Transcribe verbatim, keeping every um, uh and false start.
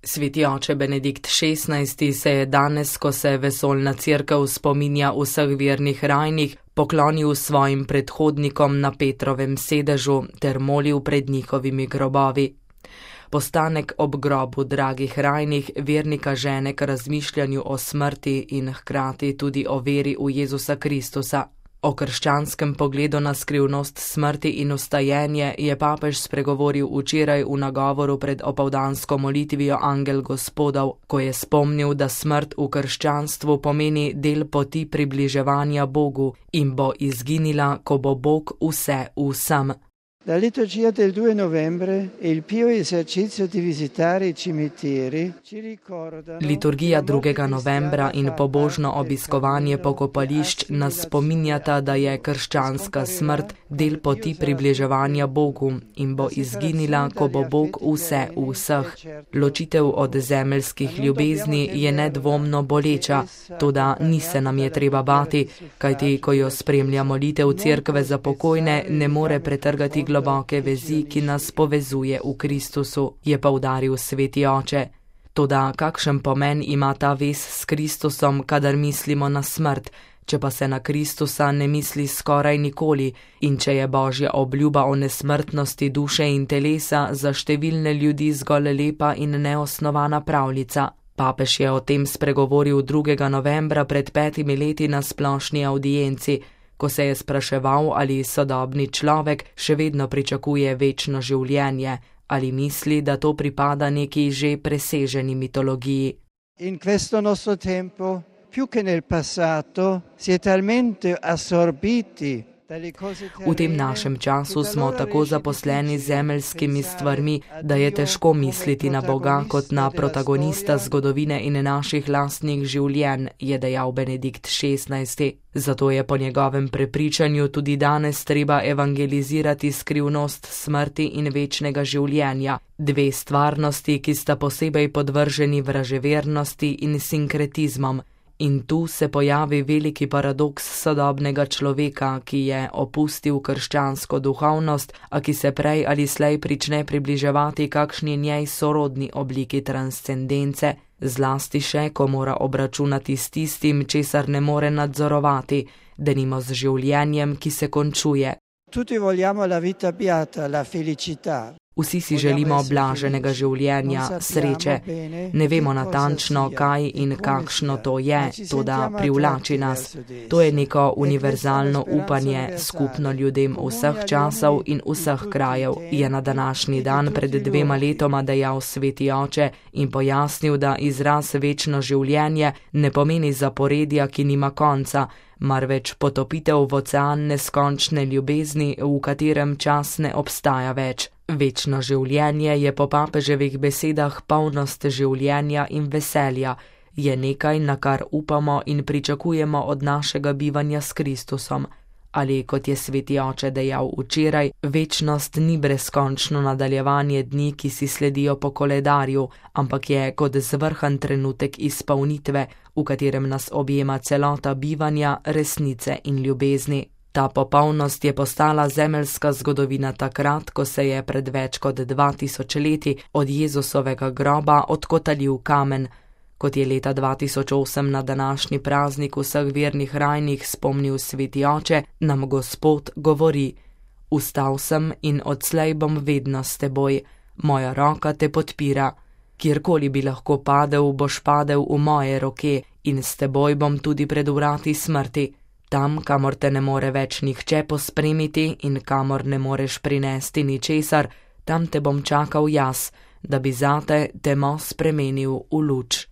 Sveti oče Benedikt šestnajsti se je danes, ko se vesoljna cerkev spominja vseh vernih rajnih, poklonil svojim predhodnikom na Petrovem sedežu ter molil pred njihovimi grobovi. Postanek ob grobu dragih rajnih vernika žene k razmišljanju o smrti in hkrati tudi o veri v Jezusa Kristusa. O krščanskem pogledu na skrivnost smrti in vstajenje je papež spregovoril včeraj v nagovoru pred opoldansko molitvijo Angel Gospodov, ko je spomnil, da smrt v krščanstvu pomeni del poti približevanja Bogu in bo izginila, ko bo Bog vse vsem. La liturgia del due novembre e il pio esercizio di visitare i cimiteri ci ricordano. Liturgija drugega novembra in pobožno obiskovanje pokopališč nas spominjata, da je krščanska smrt del poti približevanja Bogu in bo izginila, ko bo Bog vse vseh. Ločitev od zemeljskih ljubezni je nedvomno boleča, toda ni se nam je treba bati, kajti ko jo spremlja molitev cerkve za pokojne, ne more pretrgati globoke vezi, ki nas povezuje v Kristusu, je poudaril sveti oče. Toda kakšen pomen ima ta vez s Kristusom, kadar mislimo na smrt, če pa se na Kristusa ne misli skoraj nikoli in če je Božja obljuba o nesmrtnosti duše in telesa za številne ljudi zgolj lepa in neosnovana pravljica. Papež je o tem spregovoril drugega novembra pred petimi leti na splošni avdienci, ko se je spraševal, ali sodobni človek še vedno pričakuje večno življenje, ali misli, da to pripada neki že preseženi mitologiji. In questo nostro tempo, più che nel passato, si è talmente assorbiti. V tem našem času smo tako zaposleni z zemeljskimi stvarmi, da je težko misliti na Boga kot na protagonista zgodovine in naših lastnih življenj, je dejal Benedikt šestnajsti. Zato je po njegovem prepričanju tudi danes treba evangelizirati skrivnost smrti in večnega življenja, dve stvarnosti, ki sta posebej podvrženi vraževernosti in sinkretizmom. In tu se pojavi veliki paradoks sodobnega človeka, ki je opustil krščansko duhovnost, a ki se prej ali slej prične približevati kakšni njej sorodni obliki transcendence, zlasti še, ko mora obračunati s tistim, česar ne more nadzorovati, denimo z življenjem, ki se končuje. Tutti vogliamo la vita beata, la felicità. Vsi si želimo blaženega življenja, sreče. Ne vemo natančno, kaj in kakšno to je, toda privlači nas. To je neko univerzalno upanje, skupno ljudem vseh časov in vseh krajev, je na današnji dan pred dvema letoma dejal sveti oče in pojasnil, da izraz večno življenje ne pomeni zaporedja, ki nima konca, marveč potopitev v ocean neskončne ljubezni, v katerem čas ne obstaja več. Večno življenje je po papeževih besedah polnost življenja in veselja, je nekaj, na kar upamo in pričakujemo od našega bivanja s Kristusom. Ali, kot je sveti oče dejal včeraj, večnost ni brezkončno nadaljevanje dni, ki si sledijo po koledarju, ampak je kot zvrhan trenutek izpolnitve, v katerem nas objema celota bivanja, resnice in ljubezni. Ta popolnost je postala zemeljska zgodovina takrat, ko se je pred več kot dva tisoč leti od Jezusovega groba odkotalil kamen. Kot je leta dva tisoč osem na današnji praznik vseh vernih rajnih spomnil sveti oče, nam Gospod govori: Vstal sem in odslej bom vedno s teboj, moja roka te podpira. Kjerkoli bi lahko padel, boš padel v moje roke in s teboj bom tudi pred vrati smrti. Tam, kamor te ne more več nihče pospremiti in kamor ne moreš prinesti ničesar, tam te bom čakal jaz, da bi zate temo spremenil v luč.